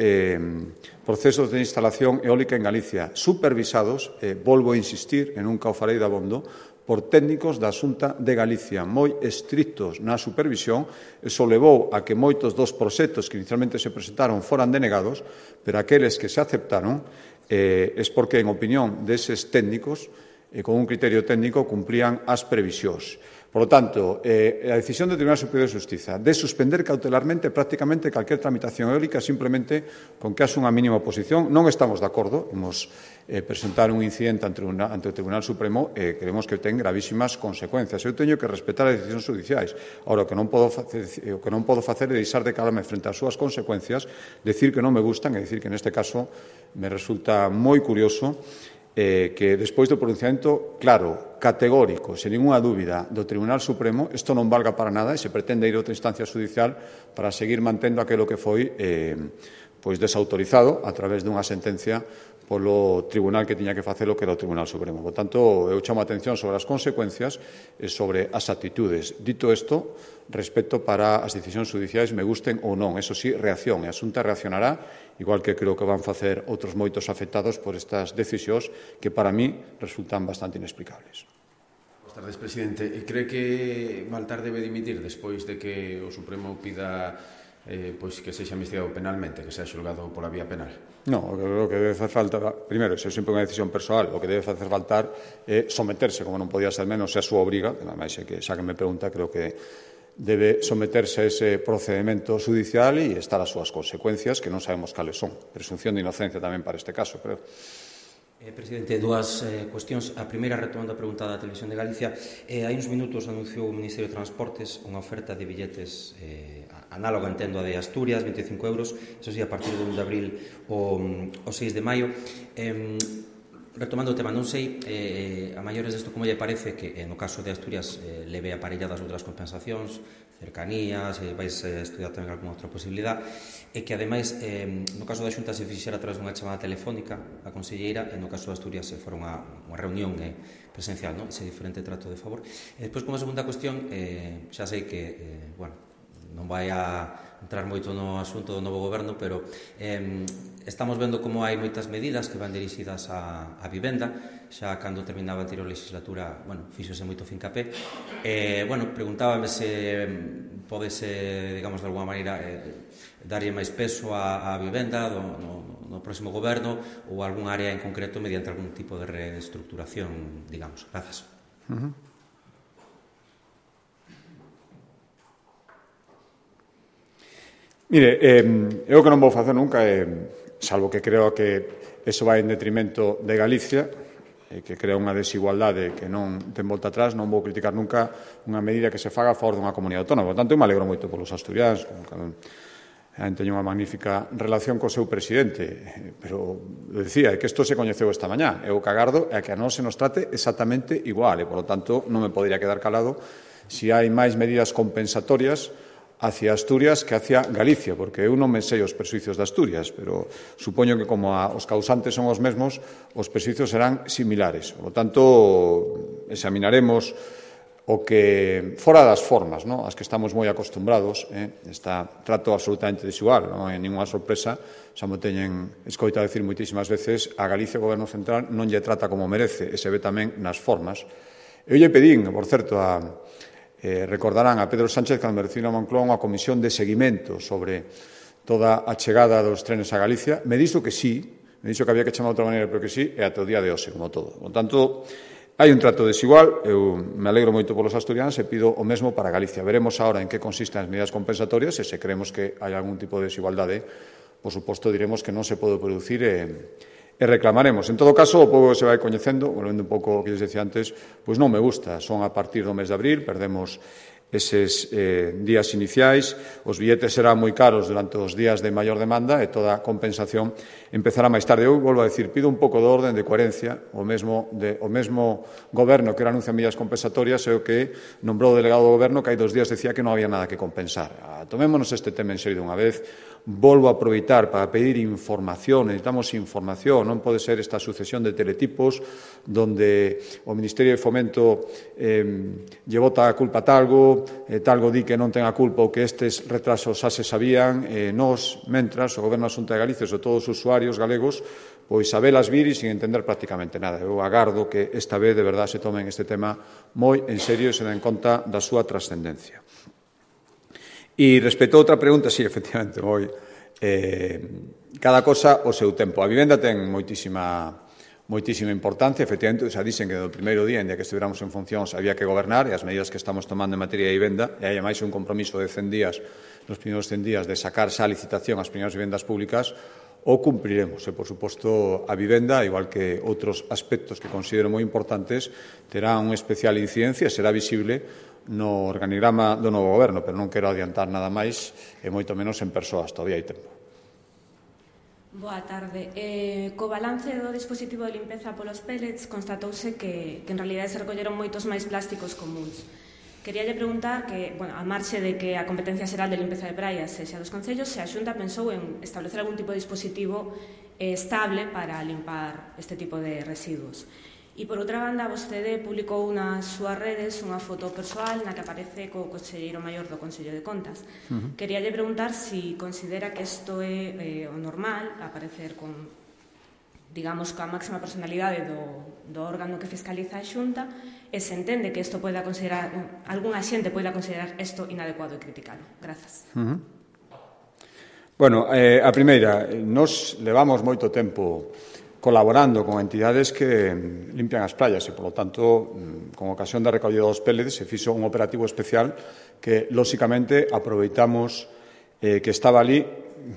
procesos de instalación eólica en Galicia, supervisados, volvo a insistir, e nunca o farei dabondo, por técnicos da Xunta de Galicia, moi estrictos na supervisión. Eso levou a que moitos dos proxectos que inicialmente se presentaron foran denegados, pero aqueles que se aceptaron es porque, en opinión deses técnicos, con un criterio técnico, cumprían as previsións. Por lo tanto, a decisión do Tribunal Superior de Xustiza de suspender cautelarmente prácticamente calquer tramitación eólica simplemente con que haxe unha mínima oposición, non estamos de acordo, imos presentar un incidente ante o Tribunal Supremo e creemos que ten gravísimas consecuencias. Eu teño que respetar as decisións judiciais. Ahora, o que non podo facer é deixar de calarme frente ás súas consecuencias, decir que non me gustan e decir que neste caso me resulta moi curioso que despois do pronunciamento claro, categórico, sen ninguna dúbida do Tribunal Supremo, isto non valga para nada e se pretende ir a outra instancia judicial para seguir mantendo aquilo que foi desautorizado a través dunha sentencia polo tribunal que tiña que facelo, que era o Tribunal Supremo. Por tanto, eu chamo a atención sobre as consecuencias e sobre as actitudes. Dito isto, respecto para as decisións judiciais me gusten ou non. Eso sí, reacción. E a Xunta reaccionará, igual que creo que van facer outros moitos afectados por estas decisións que para mí resultan bastante inexplicables. Boas tardes, presidente. Cree que Baltar debe dimitir despois de que o Supremo pida que sexa investigado penalmente, que sea xulgado pola vía penal? No, o que debe facer falta, primeiro, se é sempre unha decisión persoal, o que debe facer faltar é someterse, como non podía ser menos, é a súa obriga, ademais, xa que me pregunta, creo que debe someterse a ese procedimento judicial e estar as súas consecuencias, que non sabemos cales son. Presunción de inocencia tamén para este caso, creo. Presidente, dúas cuestións. A primeira, retomando a pregunta da Televisión de Galicia, hai uns minutos anunciou o Ministerio de Transportes unha oferta de billetes análoga, entendo, a de Asturias, 25 euros, eso sí, a partir do 1 de abril o 6 de maio. Retomando o tema, non sei a maiores desto como lle parece que no caso de Asturias leve aparelladas outras compensacións, cercanías, vais estudiar tamén algunha outra posibilidade, e que ademais no caso da Xunta se fixera a través dunha chamada telefónica a conselleira, e no caso de Asturias se fora unha reunión presencial, non? Ese diferente trato de favor. E despois, como segunda cuestión, xa sei que non vai a entrar moito no asunto do novo goberno, pero estamos vendo como hai moitas medidas que van dirixidas á vivenda. Xa cando terminaba a anterior legislatura, fíxose moito fincapé. Preguntábame se podese, digamos, de alguma maneira darlle máis peso á vivenda no próximo goberno ou algún área en concreto mediante algún tipo de reestructuración, digamos. Grazas. Mire, eu que non vou facer nunca, salvo que creo que eso vai en detrimento de Galicia, que crea unha desigualdade que non ten volta atrás, non vou criticar nunca unha medida que se faga a favor dunha comunidade autónoma. Por tanto, eu me alegro moito polos asturianos, teño unha magnífica relación co seu presidente, pero decía, que isto se coñeceu esta mañá, eu que agardo é que a nós se nos trate exactamente igual, e, por lo tanto, non me podería quedar calado se hai máis medidas compensatorias hacia Asturias que hacia Galicia, porque eu non me sei os prexuicios de Asturias, pero supoño que como os causantes son os mesmos, os prexuicios serán similares. Por lo tanto, examinaremos o que, fora das formas, as que estamos moi acostumbrados, está trato absolutamente desigual, non hai ninguna sorpresa, xa me teñen escoitado decir moitísimas veces, a Galicia o Goberno Central non lle trata como merece, e se ve tamén nas formas. Eu lle pedín, por certo, recordarán a Pedro Sánchez cando me recibiu a Moncloa unha comisión de seguimento sobre toda a chegada dos trenes a Galicia. Me dixo que sí, me dixo que había que chamar de outra maneira, pero que sí, e ata o día de hoxe, como todo. Por tanto, hai un trato desigual, eu me alegro moito polos asturianos e pido o mesmo para Galicia. Veremos agora en que consisten as medidas compensatorias e se creemos que hai algún tipo de desigualdade, por suposto, diremos que non se pode producir e reclamaremos. En todo caso, o povo se vai coñecendo, volvendo un pouco o que lles decía antes, pois non me gusta, son a partir do mes de abril, perdemos eses días iniciais, os billetes serán moi caros durante os días de maior demanda e toda a compensación empezará máis tarde. Eu volvo a decir, pido un pouco de orden, de coherencia, o mesmo goberno que anuncia medidas compensatorias é o que nombrou o delegado do goberno que hai 2 días decía que non había nada que compensar. Tomémonos este tema en serio dunha vez. Volvo a aproveitar para pedir información, necesitamos información, non pode ser esta sucesión de teletipos donde o Ministerio de Fomento lle bota a culpa a talgo, talgo di que non ten a culpa ou que estes retrasos xa se sabían, nós, mentras, o Goberno da Xunta de Galicia e todos os usuarios galegos, pois a velas vir e sin entender prácticamente nada. Eu agardo que esta vez de verdade se tomen este tema moi en serio e se den conta da súa trascendencia. E respecto a outra pregunta, sí, efectivamente, cada cosa o seu tempo. A vivenda ten moitísima importancia, efectivamente, xa dicen que do primeiro día, en día que estivéramos en funcións, había que gobernar, e as medidas que estamos tomando en materia de vivenda, e hai máis un compromiso de 100 días, nos primeiros 100 días, de sacar xa a licitación as primeiras vivendas públicas, o cumpriremos. E, por suposto, a vivenda, igual que outros aspectos que considero moi importantes, terá unha especial incidencia, será visible no organigrama do novo goberno, pero non quero adiantar nada máis, e moito menos en persoas, todavía hai tempo. Boa tarde. Co balance do dispositivo de limpeza polos pellets constatouse que en realidade se recolleron moitos máis plásticos comuns. Queríalle preguntar que, a marxe de que a competencia xeral de limpeza de praias sexa dos concellos, se a Xunta pensou en establecer algún tipo de dispositivo estable para limpar este tipo de residuos. E, por outra banda, vostede publicou nas súas redes unha foto persoal na que aparece co conselleiro maior do Consello de Contas. Queríalle preguntar se considera que isto é o normal, aparecer con, digamos, coa máxima personalidade do órgano que fiscaliza a Xunta, e se entende que isto poida considerar, algunha xente poida considerar isto inadecuado e criticalo. Grazas. Bueno, a primeira, nos levamos moito tempo colaborando con entidades que limpian as praias e, polo tanto, con ocasión da recollida dos pellets se fixo un operativo especial que, lóxicamente, aproveitamos que estaba ali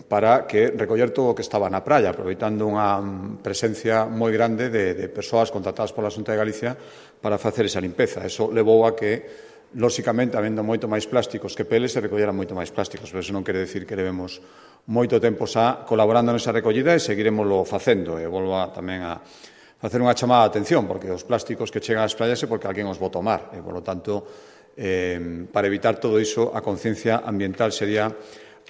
para que recoller todo o que estaba na praia, aproveitando unha presencia moi grande de persoas contratadas pola Xunta de Galicia para facer esa limpeza. Eso levou a que, lóxicamente, habendo moito máis plásticos que pellets, se recolleran moito máis plásticos, pero eso non quere decir que levemos moito tempo xa colaborando nesa recollida e seguiremoslo facendo. E volvo tamén a facer unha chamada de atención, porque os plásticos que chegan ás praias é porque alguén os bota ao mar. E, polo tanto, para evitar todo iso, a conciencia ambiental sería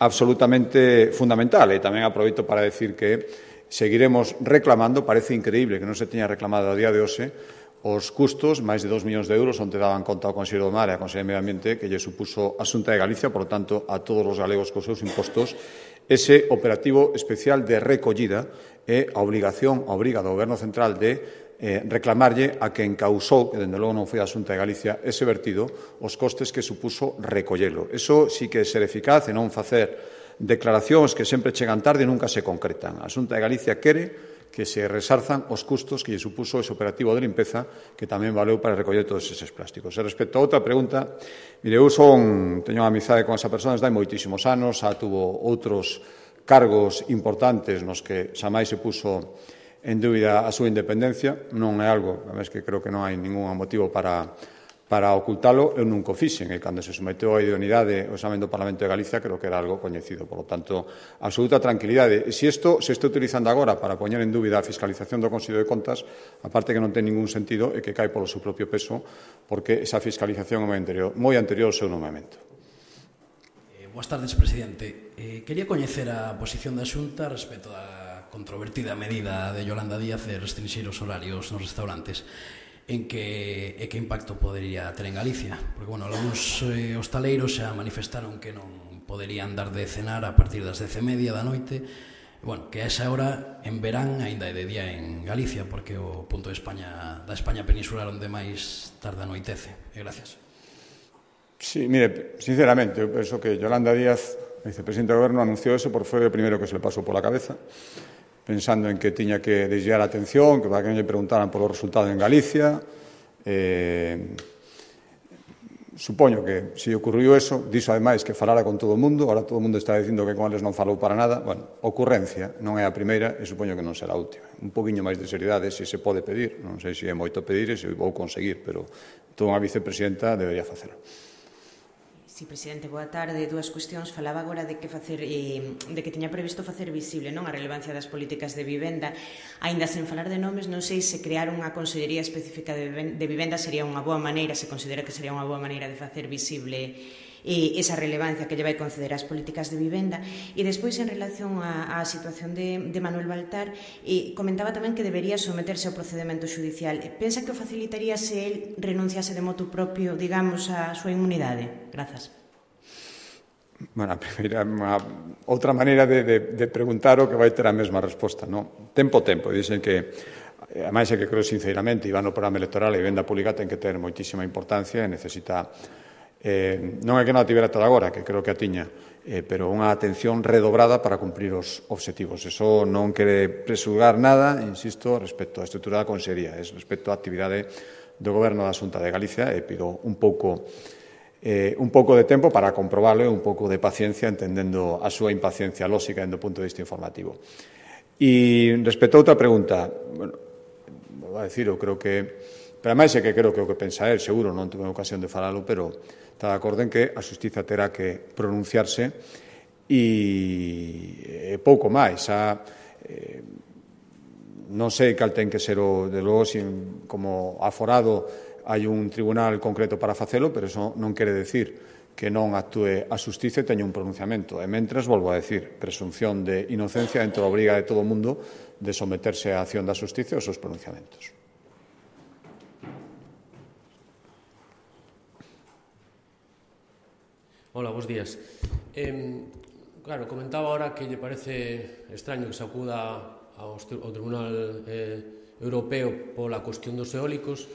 absolutamente fundamental. E tamén aproveito para decir que seguiremos reclamando, parece increíble que non se teña reclamado a día de hoxe, os custos, máis de 2 millóns de euros, onde daban conta ao Consello do Mar e ao Consello de Medio Ambiente, que lle supuso a Xunta de Galicia, por tanto, a todos os galegos cos seus impostos, ese operativo especial de recollida e a obriga do Goberno Central de reclamarlle a quen causou, que dende logo non foi a Xunta de Galicia, ese vertido, os costes que supuso recollelo. Eso sí que é ser eficaz e non facer declaracións que sempre chegan tarde e nunca se concretan. A Xunta de Galicia quere que se resarzan os custos que lle supuso ese operativo de limpeza que tamén valeu para recoller todos eses plásticos. E respecto a outra pregunta, mire, eu teño unha amizade con esa persona desde hai moitísimos anos, xa tuvo outros cargos importantes nos que xa máis se puso en dúbida a súa independencia, non é algo, a vez que creo que non hai ningún motivo para ocultalo, eu nunca o fixen, e cando se someteu a idoneidade o examen do Parlamento de Galicia creo que era algo coñecido, por lo tanto, absoluta tranquilidade. E se isto se está utilizando agora para poñer en dúbida a fiscalización do Consello de Contas, aparte que non ten ningún sentido e que cae polo seu propio peso, porque esa fiscalización é moi anterior ao seu nomeamento. Boas tardes, presidente. Quería coñecer a posición da Xunta respecto á controvertida medida de Yolanda Díaz de restringir os horarios nos restaurantes. En que impacto podería ter en Galicia? Porque, algúns hostaleiros xa manifestaron que non poderían dar de cenar a partir das 10:30 da noite, bueno, que a esa hora en verán aínda é de día en Galicia, porque é o punto de España, da España peninsular onde máis tarda anoitece. Gracias. Sí, mire, sinceramente, eu penso que Yolanda Díaz, vicepresidenta do Goberno, anunció eso porque foi o primeiro que se le pasou pola cabeza, pensando en que tiña que desviar a atención, que para que non lle preguntaran polo resultado en Galicia. Supoño que se ocurriu eso, dixo ademais que falara con todo o mundo, ahora todo o mundo está dicindo que con eles non falou para nada. Bueno, ocurrencia, non é a primeira e supoño que non será a última. Un poquinho máis de seriedade se se pode pedir, non sei se é moito pedir e se vou conseguir, pero toda unha vicepresidenta debería facelo. Sí, presidente, boa tarde. Dúas cuestións. Falaba agora de que tiña previsto facer visible non a relevancia das políticas de vivenda. Aínda sen falar de nomes, non sei se crear unha consellería específica de vivenda sería unha boa maneira, se considera que sería unha boa maneira de facer visible esa relevancia que lle vai conceder ás políticas de vivenda. E despois, en relación á situación de Manuel Baltar, comentaba tamén que debería someterse ao procedemento judicial. Pensa que o facilitaría se el renunciase de motu propio, digamos, a súa inmunidade? Grazas. Bueno, a primeira, outra maneira de preguntar o que vai ter a mesma resposta, non? Tempo. Dicen que, ademais é que creo sinceramente, Iván, no programa electoral a vivenda pública ten que ter moitísima importancia e necesita, non é que non a tivera toda agora, que creo que a tiña, pero unha atención redobrada para cumprir os obxectivos. Eso non quere presulgar nada, insisto, respecto á estrutura da Consellería, é respecto á actividade do Goberno da Xunta de Galicia, e pido un pouco de tempo para comprobarlo e un pouco de paciencia, entendendo a súa impaciencia lóxica do punto de vista informativo. E respecto a outra pregunta, bueno, vou a decir, eu creo que, pero ademais é que creo que o que pensa él, seguro, non tuve ocasión de falalo, pero está de acordo en que a Xustiza terá que pronunciarse e pouco máis. Non sei cal ten que ser de logo, como aforado hai un tribunal concreto para facelo, pero eso non quere decir que non actúe a Xustiza e teña un pronunciamento. E mentres, volvo a decir, presunción de inocencia dentro da obriga de todo o mundo de someterse á acción da Xustiza e aos seus pronunciamentos. Hola, bons días. Claro, comentaba ahora que lle parece extraño que se acuda ao Tribunal Europeo pola cuestión dos eólicos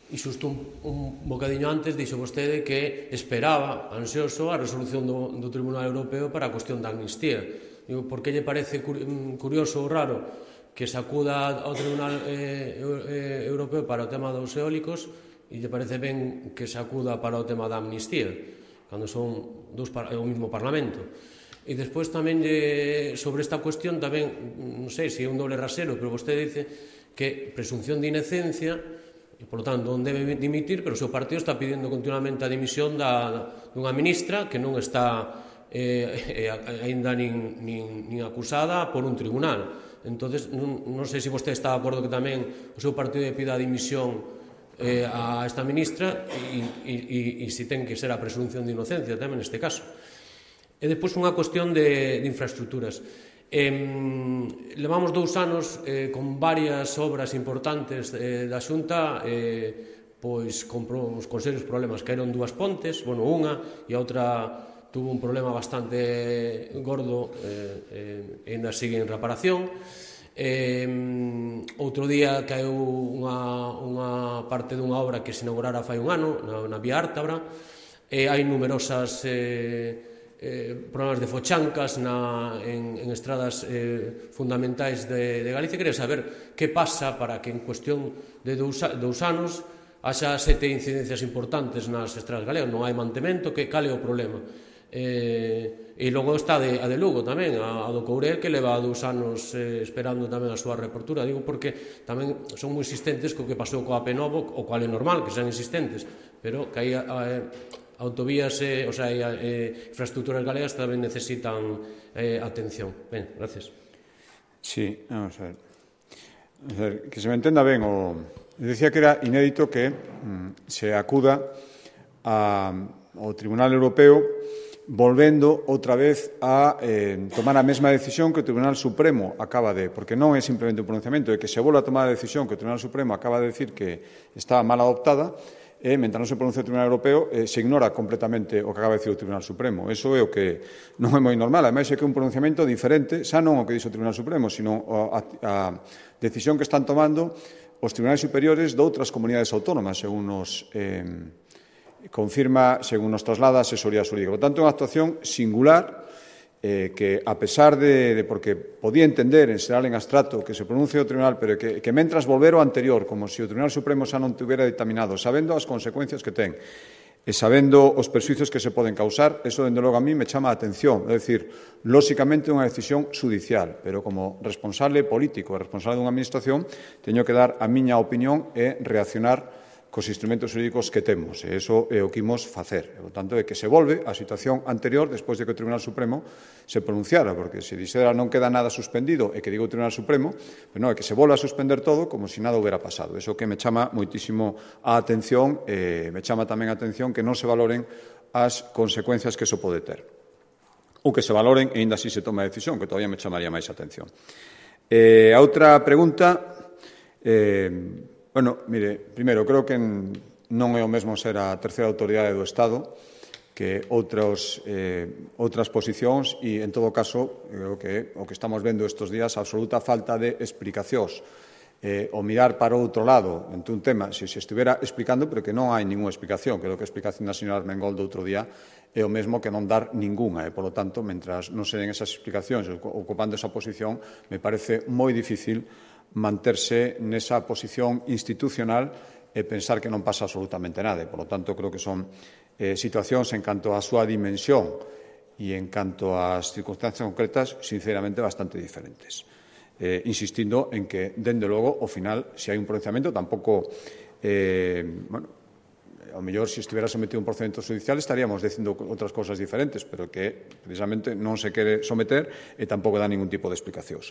e xusto un bocadiño antes dixo vostede que esperaba, ansioso, a resolución do Tribunal Europeo para a cuestión da amnistía. Digo, por que lle parece curioso ou raro que se acuda ao Tribunal Europeo para o tema dos eólicos e lle parece ben que se acuda para o tema da amnistía, cando son o mesmo Parlamento? E despois tamén sobre esta cuestión tamén, non sei se é un doble rasero, pero vostede dice que presunción de inocencia e, polo tanto, non debe dimitir, pero o seu partido está pedindo continuamente a dimisión dunha ministra que non está aínda nin acusada por un tribunal. Entonces, non sei se vostede está de acordo que tamén o seu partido pida a dimisión a esta ministra e se ten que ser a presunción de inocencia tamén neste caso. E depois unha cuestión de infraestructuras. Levamos 2 anos con varias obras importantes da Xunta, pois con serios problemas. Caeron 2 pontes, bueno, unha e a outra tuvo un problema bastante gordo e ainda sigue en reparación. Outro día caeu unha parte dunha obra que se inaugurara fai un ano na Vía Ártabra. Hai numerosas problemas de fochancas en estradas fundamentais de Galicia. Quería saber que pasa para que en cuestión de 2 anos haxa 7 incidencias importantes nas estradas galegas. Non hai mantemento, cal é o problema? E logo está a de Lugo tamén, a do Courel, que leva 2 anos esperando tamén a súa reapertura. Digo porque tamén son moi insistentes co que pasou coa Penovo, o cual é normal que sean insistentes, pero que hai autovías, o sea, infraestructuras galegas tamén necesitan atención. Ben, gracias. Sí, vamos a ver. Que se me entenda ben, decía que era inédito que se acuda ao Tribunal Europeo volvendo outra vez a tomar a mesma decisión que o Tribunal Supremo acaba porque non é simplemente un pronunciamento, é que se volve a tomar a decisión que o Tribunal Supremo acaba de decir que estaba mal adoptada, mentre non se pronuncia o Tribunal Europeo, se ignora completamente o que acaba de dicir o Tribunal Supremo. Iso é o que non é moi normal. Ademais, é que é un pronunciamento diferente, xa non o que dixo o Tribunal Supremo, sino a decisión que están tomando os tribunais superiores de outras comunidades autónomas, según nos confirma, según nos traslada a asesoría xurídica. Por tanto, é unha actuación singular que, a pesar de porque podía entender en xeral en abstracto que se pronuncie o tribunal, pero que mentras volver o anterior, como se o Tribunal Supremo xa non tivera dictaminado, sabendo as consecuencias que ten e sabendo os perxuicios que se poden causar, eso, dende logo, a mí me chama a atención. É dicir, lóxicamente, unha decisión judicial, pero como responsable político e responsable dunha administración, teño que dar a miña opinión e reaccionar cos instrumentos xurídicos que temos, e iso é o que imos facer. Por tanto, é que se volve á situación anterior despois de que o Tribunal Supremo se pronunciara, porque se dixera non queda nada suspendido e que diga o Tribunal Supremo, pero non, é que se volve a suspender todo como se nada houbera pasado. Iso que me chama moitísimo a atención, e me chama tamén a atención que non se valoren as consecuencias que iso pode ter. Ou que se valoren e ainda así se toma a decisión, que todavía me chamaría máis a atención. A outra pregunta... Bueno, mire, primeiro, creo que non é o mesmo ser a terceira autoridade do Estado que outras posicións e, en todo caso, creo que o que estamos vendo estes días, a absoluta falta de explicacións. O mirar para outro lado ante un tema, se estivera explicando, pero que non hai ninguna explicación. Creo que a explicación da señora Armengol do outro día é o mesmo que non dar ninguna. E, polo tanto, mentras non se den esas explicacións ocupando esa posición, me parece moi difícil manterse nesa posición institucional e pensar que non pasa absolutamente nada. Por lo tanto, creo que son situacións en canto á súa dimensión e en canto ás circunstancias concretas, sinceramente, bastante diferentes. Insistindo en que, dende logo, ao final, se hai un pronunciamento, tampouco, ao mellor, se estivera sometido a un procedimento judicial, estaríamos dicindo outras cousas diferentes, pero que, precisamente, non se quere someter e tampouco dá ningún tipo de explicacións.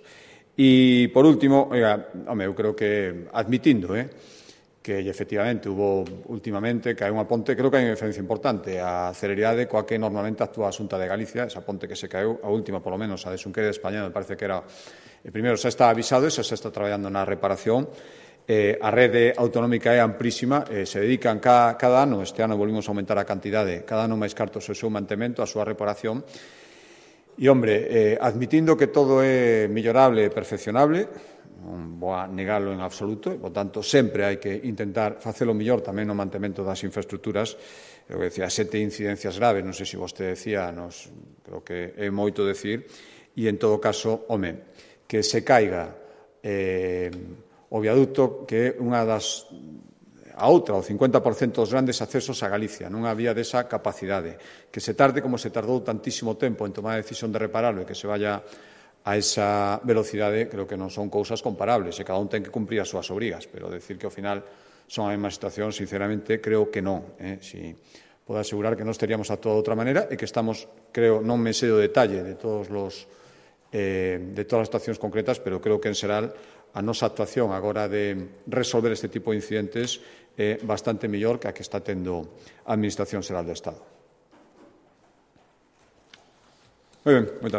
E, por último, eu creo que, admitindo que, efectivamente, hubo últimamente que hai unha ponte, creo que hai unha diferencia importante, a celeridade coa que normalmente actúa a Xunta de Galicia, esa ponte que se caeu, a última, polo menos, a de Xunqueira de España, me parece que era, primeiro, xa está avisado e xa se está traballando na reparación. A rede autonómica é amplísima, se dedican cada ano, este ano volvimos a aumentar a cantidade, cada ano máis cartos o seu mantemento, a súa reparación. E, hombre, admitindo que todo é millorable e perfeccionable, non vou a negalo en absoluto, e, por tanto, sempre hai que intentar facelo mellor tamén no mantemento das infraestructuras. Eu decía, 7 incidencias graves, non sei se vostede decía, creo que é moito decir, e, en todo caso, que se caiga o viaducto, que é unha das... a outra, o 50% dos grandes accesos a Galicia, non había desa capacidade. Que se tarde como se tardou tantísimo tempo en tomar a decisión de repararlo e que se vaya a esa velocidade, creo que non son cousas comparables, e cada un ten que cumprir as súas obrigas, pero decir que ao final son a mesma situación, sinceramente, creo que non. Si podo asegurar que non estaríamos actuado de outra maneira e que estamos, creo, non me sei o detalle de todas as situacións concretas, pero creo que en xeral a nosa actuación agora de resolver este tipo de incidentes é bastante mellor que a que está tendo a Administración Xeral do Estado. Moi ben, moitas